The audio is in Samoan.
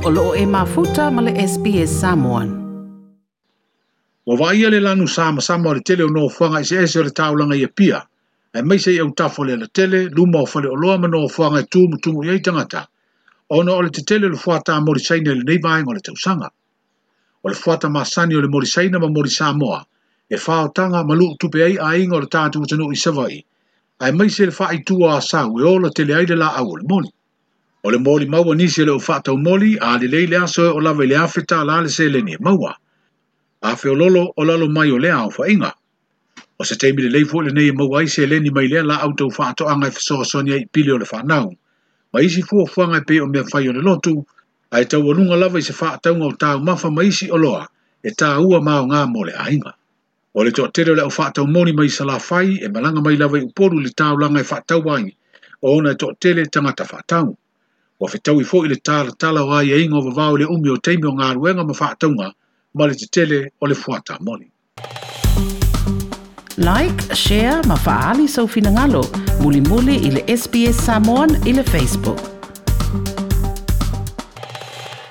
O loo e mafuta ma le SBS Samoan. Ua vaaia le lanu samasama o le tele o nofoaga eseese o le taulaga i Apia, aemaise i autafa o le alatele, luma o faleoloa ma nofoaga e tumutumu i ai tagata, ona o le tetele o le fuata moli Saina i lenei vaega o le tausaga. O le fuata masani o le moli Saina ma moli Samoa, e faotaga ma luu tupe ai aiga o le tatou atunuu i Savaii, aemaise le faaitua Asau e ola tele ai le laau o le moli. O le molimau a nisi o le au faatau moli, a lelei le aso e oo lava i le $1,000 le seleni e maua. A feololo o lalo mai o lea aofaiga. O se taimi lelei foi lenei e maua ai seleni mai lea laau tau faatoaga e fesoasoani ai i pili o le fanau, ma isi fuafuaga e pei o mea fai o le lotu, ae taualuga lava i se faatauga o taumafa ma isi oloa e taua ma aoga mo le aiga. O le toatele o le au faatau moli mai Salafai e malaga mai lava i Upolu i le taulaga e faatau ai, ona e toatele tagata faatau. Ua fetaui foi le talatala o aiaiga o vavao i le umi o taimi o galuega ma faatauga ma le tetele o le fuata moli. Like, share ma faaali sou finagalo. Mulimuli i le SBS Samoan i le Facebook.